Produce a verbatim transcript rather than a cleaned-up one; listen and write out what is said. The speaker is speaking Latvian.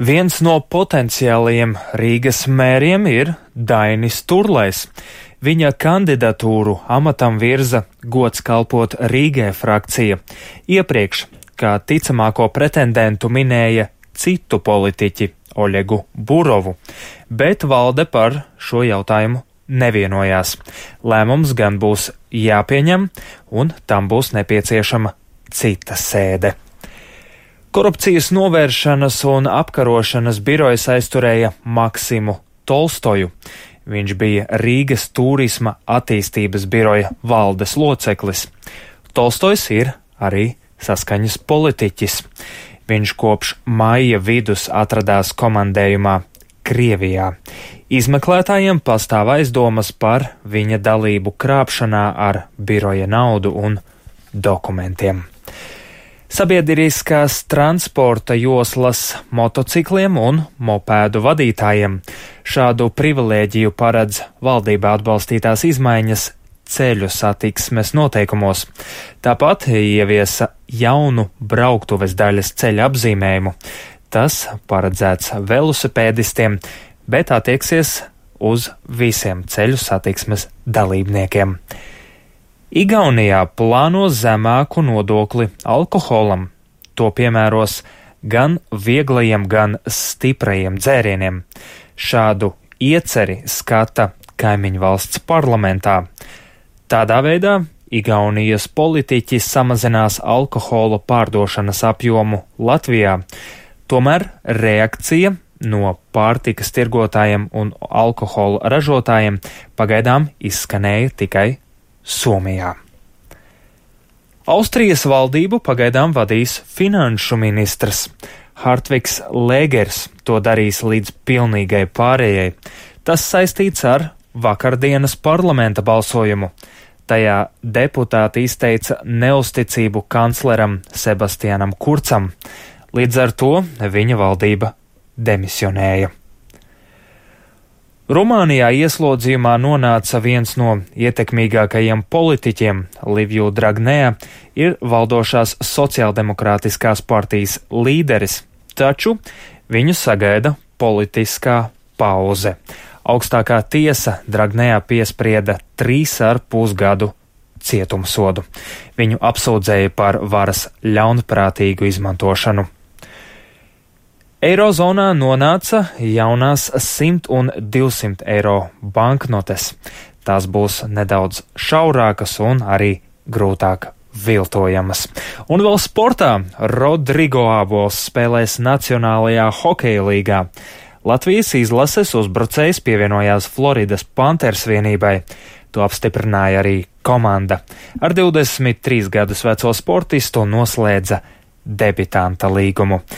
Viens no potenciālajiem Rīgas mēriem ir Dainis Turlejs. Viņa kandidatūru amatam virza gods kalpot Rīgai frakcija. Iepriekš, kā ticamāko pretendentu, minēja citu politiķi Oļegu Burovu, bet valde par šo jautājumu nevienojās. Lēmums gan būs jāpieņem, un tam būs nepieciešama cita sēde. Korupcijas novēršanas un apkarošanas birojas aizturēja Maksimu Tolstoju. Viņš bija Rīgas turisma attīstības biroja valdes loceklis. Tolstojs ir arī saskaņas politiķis. Viņš kopš maija vidus atradās komandējumā Krievijā. Izmeklētājiem pastāv aizdomas par viņa dalību krāpšanā ar biroja naudu un dokumentiem. Sabiedriskās transporta joslas motocikliem un mopēdu vadītājiem. Šādu privilēģiju paredz valdībā atbalstītās izmaiņas ceļu satiksmes noteikumos. Tāpat ieviesa jaunu brauktuves daļas ceļa apzīmējumu. Tas paredzēts velosipēdistiem, bet attieksies uz visiem ceļu satiksmes dalībniekiem. Igaunijā plāno zemāku nodokli alkoholam. To piemēros gan vieglajiem, gan stiprajiem dzērieniem. Šādu ieceri skata kaimiņu valsts parlamentā. Tādā veidā Igaunijas politiķi samazinās alkohola pārdošanas apjomu Latvijā. Tomēr reakcija no pārtikas tirgotājiem un alkohola ražotājiem pagaidām izskanēja tikai Somijā. Austrijas valdību pagaidām vadīs finanšu ministrs. Hartvigs Lēgers to darīs līdz pilnīgai pārējai. Tas saistīts ar vakardienas parlamenta balsojumu. Tajā deputāti izteica neusticību kancleram Sebastianam Kurcam. Līdz ar to viņa valdība demisionēja. Rumānijā ieslodzījumā nonāca viens no ietekmīgākajiem politiķiem. Liviju Dragnea ir valdošās sociāldemokrātiskās partijas līderis, taču viņu sagaida politiskā pauze. Augstākā tiesa Dragnea piesprieda trīs ar pusgadu cietumsodu. Viņu apsūdzēja par varas ļaunprātīgu izmantošanu. Eirozonā nonāca jaunās simt un divsimt eiro banknotes. Tās būs nedaudz šaurākas un arī grūtāk viltojamas. Un vēl sportā Rodrigo Abols spēlēs Nacionālajā hokeja līgā. Latvijas izlases uzbrucējs pievienojās Floridas Panthers vienībai. To apstiprināja arī komanda. Ar divdesmit trīs gadus veco sportistu noslēdza debitanta līgumu.